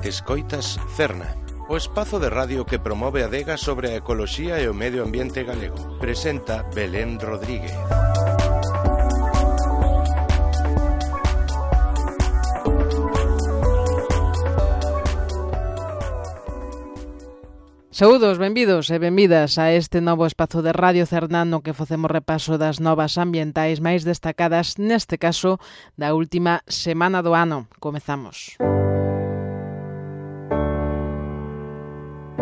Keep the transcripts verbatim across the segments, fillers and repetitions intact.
Escoitas Cerna, o espazo de radio que promove a adega sobre a ecoloxía e o medio ambiente galego. Presenta Belén Rodríguez. Saúdos, benvidos e benvidas a este novo espazo de Radio Cerna no que facemos repaso das novas ambientais máis destacadas, neste caso, da última semana do ano. Comezamos.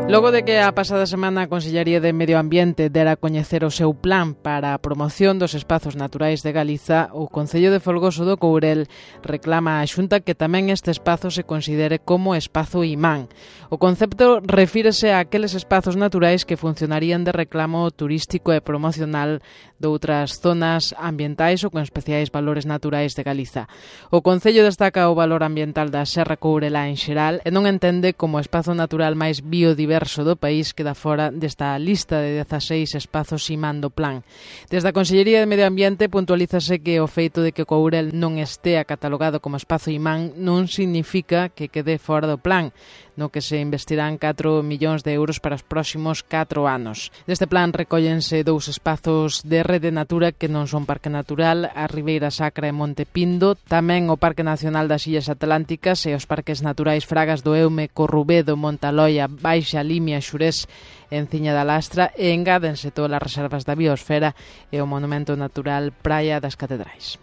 Logo de que a pasada semana a Consellería de Medio Ambiente dera a coñecer o seu plan para a promoción dos espazos naturais de Galiza, o Concello de Folgoso do Courel reclama á Xunta que tamén este espazo se considere como espazo imán. O concepto refírese a aqueles espazos naturais que funcionarían de reclamo turístico e promocional doutras zonas ambientais ou con especiais valores naturais de Galiza. O Concello destaca o valor ambiental da Serra Courelá en xeral e non entende como espazo natural máis biodiverso do país queda fora desta lista de dezaseis espazos imán do plan. Desde a Consellería de Medio Ambiente puntualízase que o feito de que o Courel non estea catalogado como espazo imán non significa que quede fora do plan, no que se investirán catro millóns de euros para os próximos catro anos. Deste plan recóllense dous espazos de rede natura que non son Parque Natural, a Ribeira Sacra e Monte Pindo, tamén o Parque Nacional das Illas Atlánticas e os parques naturais Fragas do Eume, Corrubedo, Montaloia, Baixa Limia, Xurés, Enciña da Lastra e engádense todas as reservas da biosfera e o monumento natural Praia das Catedrais.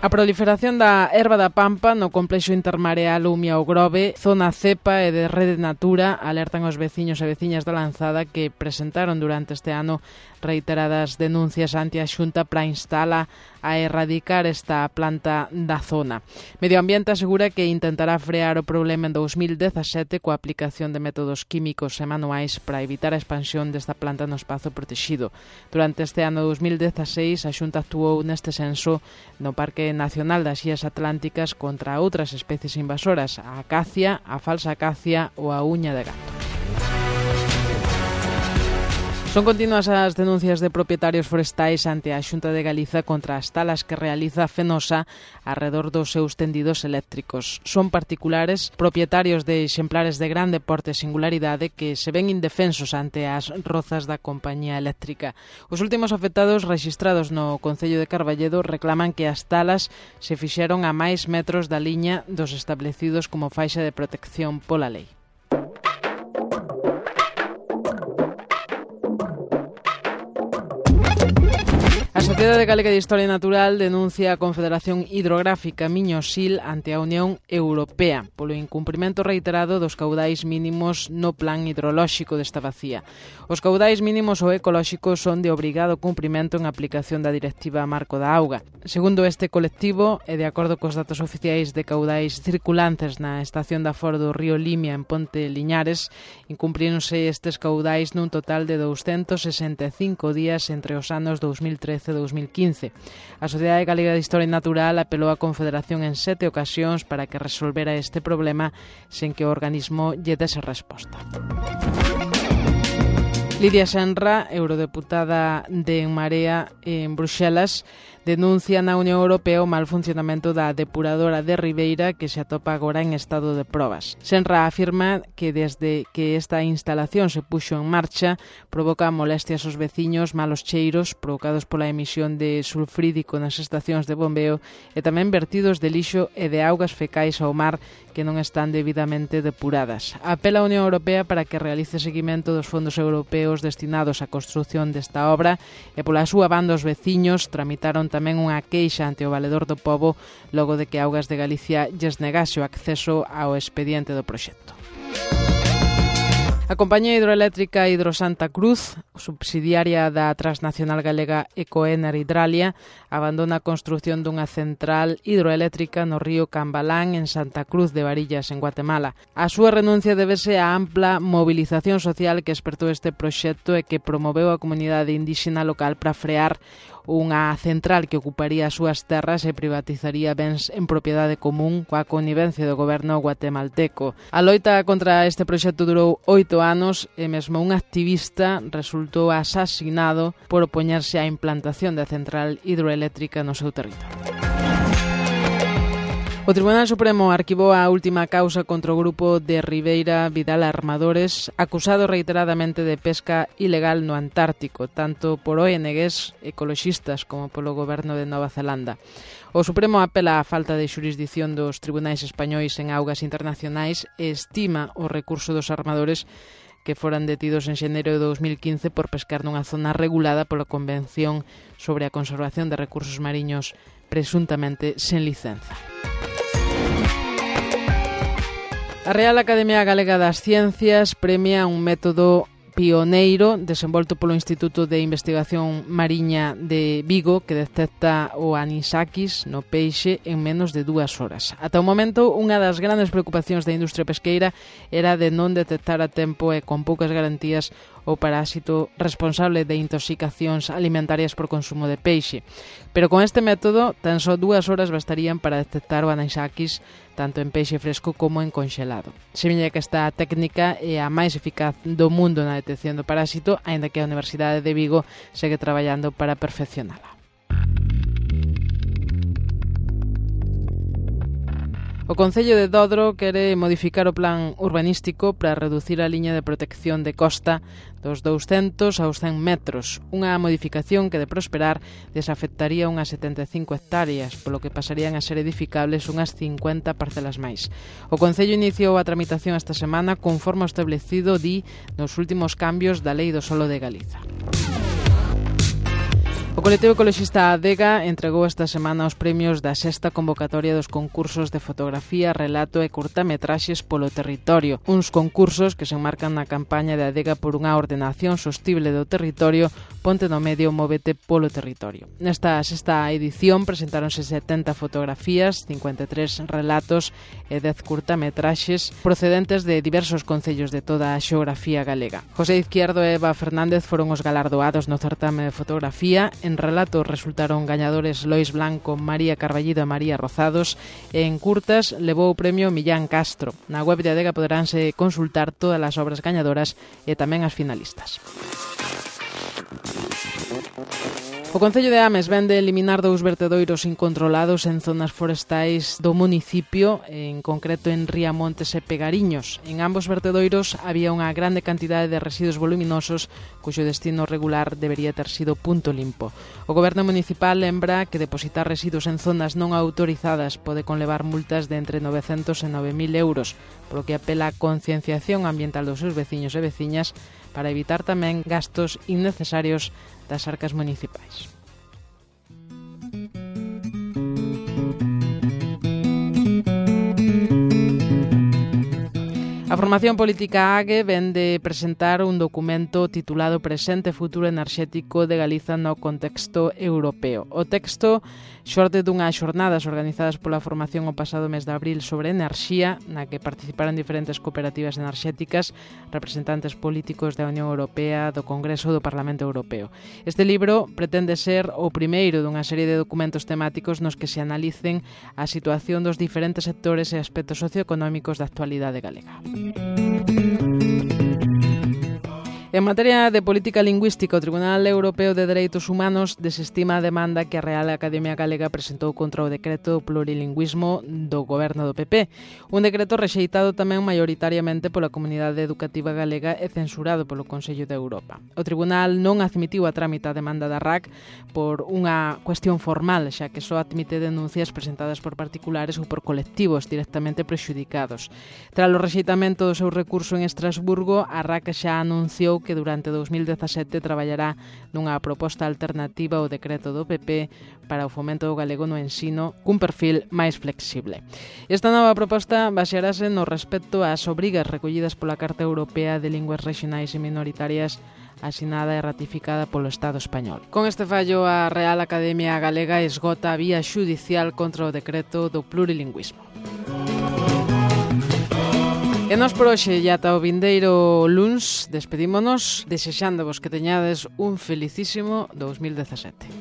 A proliferación da erva da pampa no complexo intermareal Umia o Grove, zona cepa e de rede natura, alertan os veciños e veciñas da Lanzada que presentaron durante este ano reiteradas denuncias ante a Xunta para instala a erradicar esta planta da zona. Medio Ambiente asegura que intentará frear o problema en dous mil dezasete coa aplicación de métodos químicos e manuais para evitar a expansión desta planta no espazo protegido. Durante este ano dous mil dezaseis, a Xunta actuou neste senso no Parque Nacional das Illas Atlánticas contra outras especies invasoras, a acacia, a falsa acacia ou a uña de gato. Son continuas as denuncias de propietarios forestais ante a Xunta de Galiza contra as talas que realiza Fenosa arredor dos seus tendidos eléctricos. Son particulares, propietarios de exemplares de grande porte e singularidade que se ven indefensos ante as rozas da compañía eléctrica. Os últimos afectados rexistrados no Concello de Carballedo reclaman que as talas se fixeron a máis metros da liña dos establecidos como faixa de protección pola lei. A Sociedade Galega de Historia Natural denuncia a Confederación Hidrográfica Miño-Sil ante a Unión Europea polo incumprimento reiterado dos caudais mínimos no plan hidrolóxico desta bacía. Os caudais mínimos ou ecolóxicos son de obrigado cumprimento en aplicación da Directiva Marco da Auga. Segundo este colectivo, e de acordo cos datos oficiais de caudais circulantes na estación da Foro do río Limia en Ponte Liñares, incumpríronse estes caudais nun total de douscentos sesenta e cinco días entre os anos dous mil trece e dous mil quince. A Sociedade Galega de Historia Natural apelou á Confederación en sete ocasións para que resolvera este problema sen que o organismo lle dese resposta. Lidia Senra, eurodeputada de En Marea en Bruxelas, denuncia na Unión Europea o mal funcionamento da depuradora de Ribeira que se atopa agora en estado de probas. Senra afirma que desde que esta instalación se puxo en marcha provoca molestias aos veciños, malos cheiros provocados pola emisión de sulfrídico nas estacións de bombeo e tamén vertidos de lixo e de augas fecais ao mar que non están debidamente depuradas. Apela a Unión Europea para que realice seguimento dos fondos europeos destinados á construción desta obra e pola súa banda os veciños tramitaron tamén unha queixa ante o Valedor do Pobo logo de que Augas de Galicia lles negase o acceso ao expediente do proxecto. A compañía hidroeléctrica Hidrosanta Cruz, subsidiaria da transnacional galega Ecoener Hidralia, abandona a construción dunha central hidroeléctrica no río Cambalán en Santa Cruz de Varillas, en Guatemala. A súa renuncia débese á ampla movilización social que espertou este proxecto e que promoveu a comunidade indíxena local para frear unha central que ocuparía as súas terras e privatizaría bens en propiedade común coa connivencia do goberno guatemalteco. A loita contra este proxecto durou oito anos e mesmo un activista resultou asasinado por opoñerse á implantación da central hidroeléctrica no seu territorio. O Tribunal Supremo arquivou a última causa contra o grupo de Ribeira Vidal Armadores, acusado reiteradamente de pesca ilegal no Antártico, tanto por O N Gs ecoloxistas como polo goberno de Nova Zelanda. O Supremo apela á falta de xurisdición dos tribunais españois en augas internacionais e estima o recurso dos armadores que foran detidos en xaneiro de dos mil quince por pescar nunha zona regulada pola Convención sobre a Conservación de Recursos Mariños presuntamente sen licenza. A Real Academia Galega das Ciencias premia un método pioneiro desenvolto polo Instituto de Investigación Mariña de Vigo que detecta o anisakis no peixe en menos de dúas horas. Ata o momento, unha das grandes preocupacións da industria pesqueira era de non detectar a tempo e con poucas garantías o parásito responsable de intoxicacións alimentarias por consumo de peixe. Pero con este método, tan só dúas horas bastarían para detectar o anisakis tanto en peixe fresco como en conxelado. Semella que esta técnica é a máis eficaz do mundo na detección do parásito, aínda que a Universidade de Vigo segue traballando para perfeccionala. O Concello de Dodro quere modificar o plan urbanístico para reducir a liña de protección de costa dos douscentos aos cen metros, unha modificación que, de prosperar, desafectaría unhas setenta e cinco hectáreas, polo que pasarían a ser edificables unhas cincuenta parcelas máis. O Concello iniciou a tramitación esta semana conforme ao establecido, di, nos últimos cambios da Lei do Solo de Galiza. O colectivo ecoloxista Adega entregou esta semana os premios da sexta convocatoria dos concursos de fotografía, relato e curtametraxes polo territorio. Uns concursos que se enmarcan na campaña de Adega por unha ordenación sostible do territorio, ponte no medio, móvete polo territorio. Nesta sexta edición presentáronse setenta fotografías, cincuenta e tres relatos e dez curtametraxes procedentes de diversos concellos de toda a xeografía galega. José Izquierdo e Eva Fernández foron os galardoados no certame de fotografía. En relatos resultaron gañadores Lois Blanco, María Carballido e María Rozados, e en curtas levou o premio Millán Castro. Na web de Adega poderánse consultar todas as obras gañadoras e tamén as finalistas. O Concello de Ames vende eliminar dous vertedoiros incontrolados en zonas forestais do municipio, en concreto en Riamontes e Pegariños. En ambos vertedoiros había unha grande cantidade de residuos voluminosos cuxo destino regular debería ter sido punto limpo. O Goberno municipal lembra que depositar residuos en zonas non autorizadas pode conlevar multas de entre novecentos e nove mil euros, polo que apela a concienciación ambiental dos seus veciños e veciñas para evitar tamén gastos innecesarios das arcas municipais. A formación política A G E ven de presentar un documento titulado Presente e Futuro Enerxético de Galiza no contexto europeo. O texto xorde dunhas xornadas organizadas pola formación o pasado mes de abril sobre enerxía, na que participaron diferentes cooperativas enerxéticas, representantes políticos da Unión Europea, do Congreso e do Parlamento Europeo. Este libro pretende ser o primeiro dunha serie de documentos temáticos nos que se analicen a situación dos diferentes sectores e aspectos socioeconómicos da actualidade galega. En materia de política lingüística, o Tribunal Europeo de Dereitos Humanos desestima a demanda que a Real Academia Galega presentou contra o decreto do plurilingüismo do goberno do P P. Un decreto rexeitado tamén maioritariamente pola comunidade educativa galega e censurado polo Consello de Europa. O Tribunal non admitiu a trámite a demanda da R A C por unha cuestión formal, xa que só admite denuncias presentadas por particulares ou por colectivos directamente prexudicados. Tras o rexeitamento do seu recurso en Estrasburgo, a R A C xa anunciou que durante dos mil dezasete traballará nunha proposta alternativa ao decreto do P P para o fomento do galego no ensino cun perfil máis flexible. Esta nova proposta basearase no respecto ás obrigas recollidas pola Carta Europea de Linguas Regionais e Minoritarias asinada e ratificada polo Estado español. Con este fallo, a Real Academia Galega esgota a vía xudicial contra o decreto do plurilingüismo. E nos por hoxe e ata o vindeiro luns despedímonos desexándovos que teñades un felicísimo dos mil dezasete.